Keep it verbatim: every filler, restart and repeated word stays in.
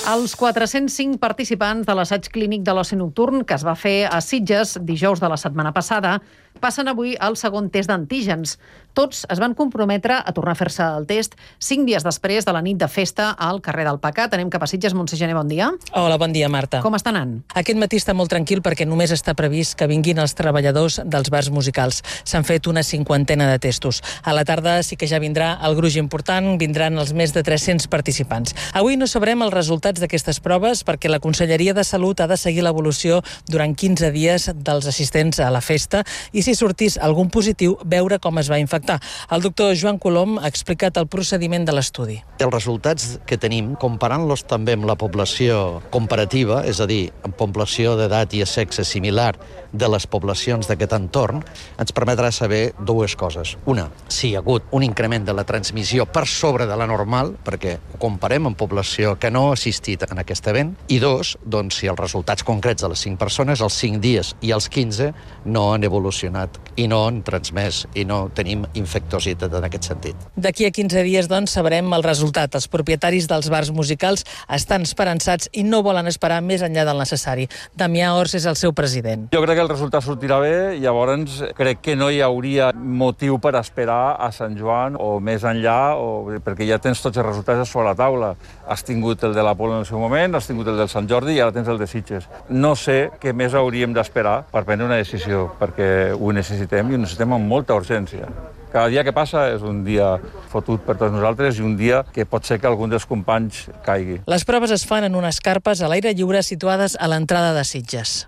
Els quatre-cents cinc participants de l'assaig clínic de l'oci nocturn que es va fer a Sitges dijous de la setmana passada passen avui al segon test d'antígens. Tots es van comprometre a tornar a fer-se el test cinc dies després de la nit de festa al carrer del Pecat. Anem cap a Sitges. Montse Gené, bon dia. Hola, bon dia, Marta. Com està anant? Aquest matí està molt tranquil perquè només està previst que vinguin els treballadors dels bars musicals. S'han fet una cinquantena de testos. A la tarda sí que ja vindrà el gruix important, vindran els més de tres-cents participants. Avui no sabrem els resultats d'aquestes proves perquè la Conselleria de Salut ha de seguir l'evolució durant quinze dies dels assistents a la festa i si sortís algun positiu, veure com es va infectar. El doctor Joan Colom ha explicat el procediment de l'estudi. Els resultats que tenim, comparant-los també amb la població comparativa, és a dir, amb població d'edat i sexe similar de les poblacions d'aquest entorn, ens permetrà saber dues coses. Una, si hi ha hagut un increment de la transmissió per sobre de la normal, perquè ho comparem amb població que no ha assistit en aquest event, i dos, doncs, si els resultats concrets de les cinc persones, els cinc dies i els quinze, no han evolucionat i no han transmès i no tenim infectositat en aquest sentit. D'aquí a quinze dies, doncs, sabrem el resultat. Els propietaris dels bars musicals estan esperançats i no volen esperar més enllà del necessari. Damià Ors és el seu president. Jo crec que el resultat sortirà bé, llavors crec que no hi hauria motiu per esperar a Sant Joan o més enllà, o, perquè ja tens tots els resultats sobre la taula. Has tingut el de l'Apolo en el seu moment, has tingut el del Sant Jordi i ara tens el de Sitges. No sé què més hauríem d'esperar per prendre una decisió, perquè ho necessitem i ho necessitem amb molta urgència. Cada dia que passa és un dia fotut per tots nosaltres i un dia que pot ser que algun dels companys caigui. Les proves es fan en unes carpes a l'aire lliure situades a l'entrada de Sitges.